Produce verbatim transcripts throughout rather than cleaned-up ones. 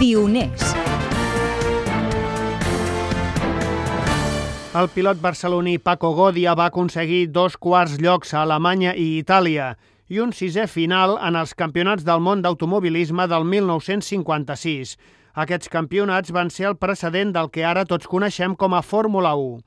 Pioners. El pilot barceloní Paco Godia va aconseguir dos quarts llocs a Alemanya i Itàlia i un sisè final en els Campionats del món d'automobilisme del mil nou-cents cinquanta-sis. Aquests campionats van ser el precedent del que ara tots coneixem com a Fórmula u.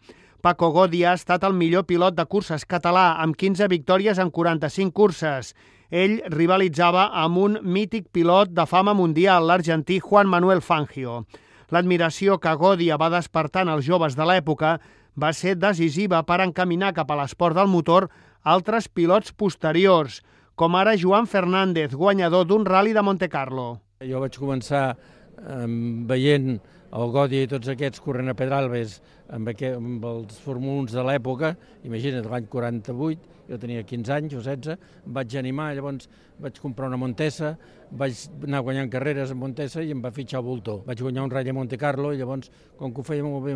Paco Godia ha estat el millor pilot de curses català, amb quinze victòries en quaranta-cinc curses. Ell rivalitzava amb un mític pilot de fama mundial, l'argentí Juan Manuel Fangio. L'admiració que Godia va despertar en els joves de l'època va ser decisiva per encaminar cap a l'esport del motor altres pilots posteriors, com ara Joan Fernández, guanyador d'un ral·li de Montecarlo. Jo vaig començar eh, veient el Godia i tots aquests corrent a Pedralbes amb, aquest, amb els Fórmula u de l'època, imagina't, l'any quaranta-vuit, jo tenia quinze anys o setze, em vaig animar, llavors vaig comprar una Montesa, vaig anar guanyant carreres a Montesa i em va fitxar el Voltor. Vaig guanyar un ratll a Montecarlo i llavors, com que ho feia molt bé,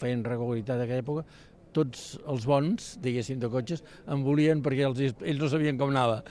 feien regularitat d'aquella època, tots els bons, diguéssim, de cotxes, em volien perquè els, ells no sabien com anava.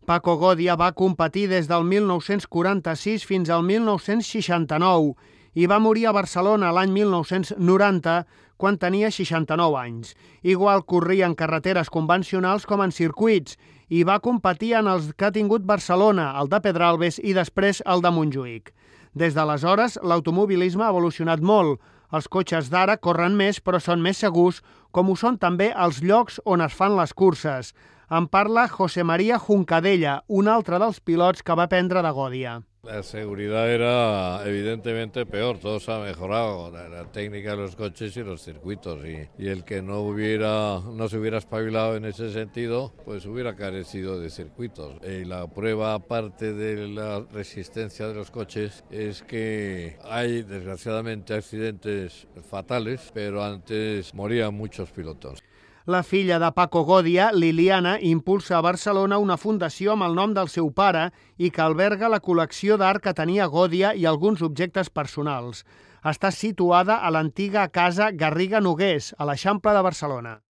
Paco Godia va competir des del mil nou-cents quaranta-sis fins al mil nou-cents seixanta-nou i va morir a Barcelona l'any mil nou-cents noranta, quan tenia seixanta-nou anys. Igual corria en carreteres convencionals com en circuits i va competir en els que ha tingut Barcelona, el de Pedralbes i després el de Montjuïc. Des d'aleshores, l'automobilisme ha evolucionat molt. Els cotxes d'ara corren més però són més segurs, com ho són també els llocs on es fan les curses. En parla José María Juncadella, un altre dels pilots que va aprendre de Godia. La seguridad era evidentemente peor, todo se ha mejorado, la, la técnica de los coches y los circuitos, y, y el que no hubiera, no se hubiera espabilado en ese sentido, pues hubiera carecido de circuitos. Y la prueba, aparte de la resistencia de los coches, es que hay desgraciadamente accidentes fatales, pero antes morían muchos pilotos. La filla de Paco Godia, Liliana, impulsa a Barcelona una fundació amb el nom del seu pare i que alberga la col·lecció d'art que tenia Godia i alguns objectes personals. Està situada a l'antiga casa Garriga Nogués, a l'Eixample de Barcelona.